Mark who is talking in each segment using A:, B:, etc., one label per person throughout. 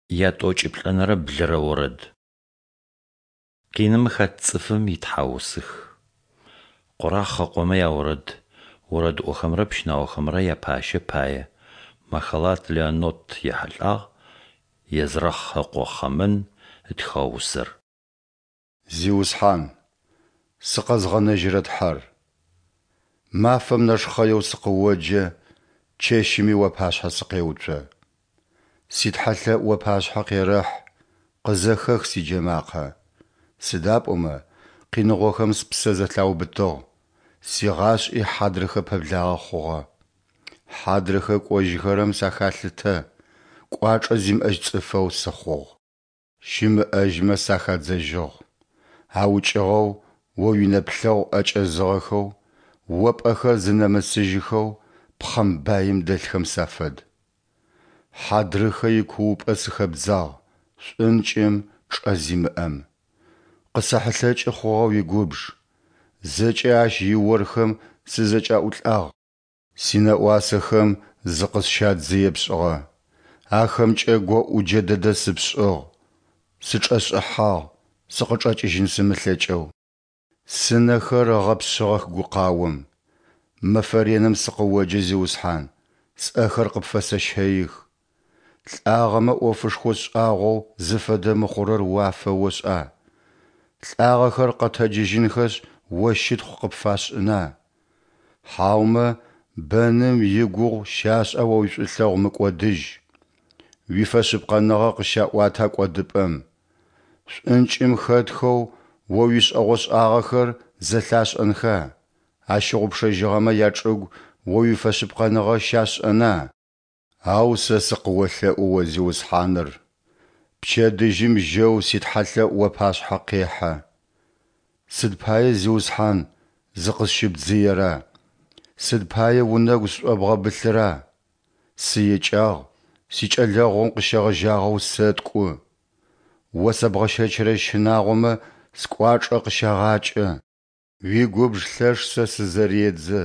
A: Ятӏокӏиплӏэнэрэ блырэ орэд. Къиным хэт цӏыфым итхьаусых. Къорахъ ыкъомэ яорэд, орэдыӏохэмрэ пщынаохэмрэ япащэ пае. Махалат Леаннот ехьылӏагъ, Езрахъ ыкъо Хъэмэн ытхыгъэ усэр.
B: Зиусхьан, сыкъэзгъэнэжьырэ Тхьэр! Мафэм нэшхъэеу сыкъыоджэ, чэщыми уапашъхьэ сыкъеуцо. Ситхьэлъэӏу уапашъхьэ къерэхь, къызэхэх сиджэмакъэ. Сыда пӏомэ къиныгъохэм спсэ зэлъаубытыгъ, сигъашӏи хьадрыхэ пэблагъэ хъугъэ. Хьадрыхэ кӏожьыхэрэм сахалъытэ, кӏуачӏэ зимыӏэжь цӏыфэу сыхъугъ. Щымыӏэжьмэ сахадзэжьыгъ, аукӏыгъэу О уинэплъэгъу ӏэкӏэзыгъэхэу, О пӏэхэр зынэмысыжьыхэу пхъэмбаим дэлъхэм сафэд. Хьадрыхэ икуупӏэ сыхэбдзагъ, шӏункӏым, чӏэ зимыӏэм. Къысэхьылъэкӏы хъугъэ уигубж, зэкӏэ ащ иорхэм сызэкӏаӏулӏагъ. Синэӏуасэхэм зыкъысщадзые пшӏыгъэ, ахэмкӏэ гоӏуджэ дэдэ сыпшӏыгъ, сычӏэшӏыхьагъ, сыкъычӏэкӏыжьын сымылъэкӏэу. Сынэхэр ыгъэпшъыгъэх гукъаом. Мэфэ реным сыкъыоджэ, Зиусхьан, сӏэхэр къыпфэсэщэих. Лӏагъэмэ ӏофышхо шӏагъоу зыфэдэ мыхъурэр уафэошӏа? Лӏагъэхэр къэтэджыжьынхэшъ, О щытхъу къыпфашӏына? Хьаумэ бэным игугъу щашӏа О уишӏулъэгъу мыкӏодыжь? Уифэшъыпкъэныгъэ къыщаӏуата кӏодыпӏэм? Шӏункӏым хэтхэу О уишӏэгъошӏагъэхэр зэлъашӏэнха, ащыгъупшэжьыгъэмэ ячӏыгу О уифэшъыпкъэныгъэ щашӏэна? Ау сэ сыкъыолъэӏу О Зиусхьаныр, пчэдыжьым жьэу ситхьэлъэӏу уапашъхьэ къехьэ. Сыд пае, Зиусхьан, зыкъысщыбдзыера? Сыд пае унэгу сшӏобгъэбылъыра? Сыекӏагъ, сикӏэлэгъум къыщегъэжьагъэу сэткӏу. О сэбгъэщэчырэ щынагъомэ скӏуачӏэ къыщагъакӏэ. Уигубж лъэш сэ сызэредзэ,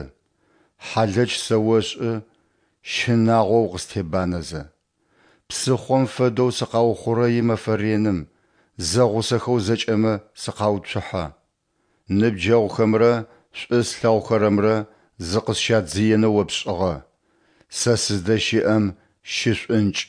B: хьалэч сэошӏы, щынагъоу укъыстебанэзэ. Псыхъом фэдэу сыкъаухъурэи мэфэ реным, зэгъусэхэу зэкӏэмэ сыкъауцухьэ. Ныбджэгъухэмрэ шӏу слъэгъухэрэмрэ зыкъысщадзыенэу О пшӏыгъэ, сэ сыздэщыӏэм щышӏункӏ.